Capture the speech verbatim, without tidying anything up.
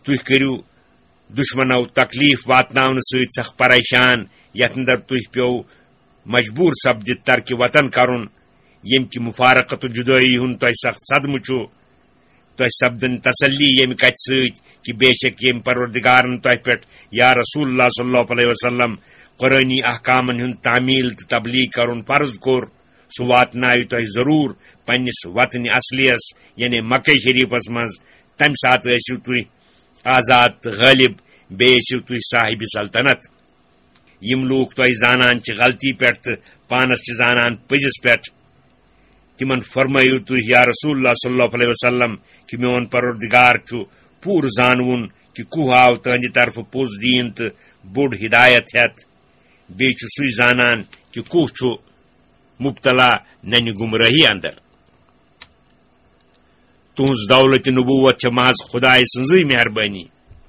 تُہۍ کٔرِو دُشمنو تکلیف واتناونہٕ سۭتۍ سخ پریشان، یتھ اندر تُہۍ پیوٚو مجبوٗر سپدِتھ ترکِ وطن کرُن، ییٚمہِ کہِ مفارقت و جدٲیی ہُنٛد تۄہہِ سخ صدمہٕ چھُ۔ تۄہہِ سپدن تسلی ییٚمہِ کتھِ سۭتۍ کہِ بے شک ییٚمہِ پروردگارن تۄہہِ پٮ۪ٹھ، یا رسول اللہ صلی اللہ علیہ وسلم، قرآنی احکامن ہُنٛد تعمیل تہٕ تبلیغ کرُن فرض کوٚر، سُہ واتناوِ تۄہہِ ضروٗر پننِس وطنِ اصلیس، یعنی مکہ شریفس منٛز۔ تمہِ ساتہٕ ٲسِو تُہۍ آزاد تہٕ غٲلب، بیٚیہِ ٲسِو تُہۍ صاحبِ سلطنت۔ یِم لوٗکھ تۄہہِ زانان چھِ غلطی پٮ۪ٹھ تہٕ پانس چھِ زانان پٔزِس پٮ۪ٹھ، تِمن فرمٲیِو تُہۍ، یا رسول اللہ صلی اللہ علیہ وسلم، کہِ میون پروردگار چھُ پوٗرٕ زانوُن کہِ کُہ آو تٕہنٛدِ طرفہٕ پوٚز دیٖن تہٕ بوٚڑ ہدایت ہٮ۪تھ۔ بیٚیہِ چھُ سُے زانان کہِ کُہ چھُ مبتلا ننہِ گمراہی اندر۔ تُہنٛز دولت نبوت چھےٚ محض خدایہِ سٕنٛزٕے مہربٲنی۔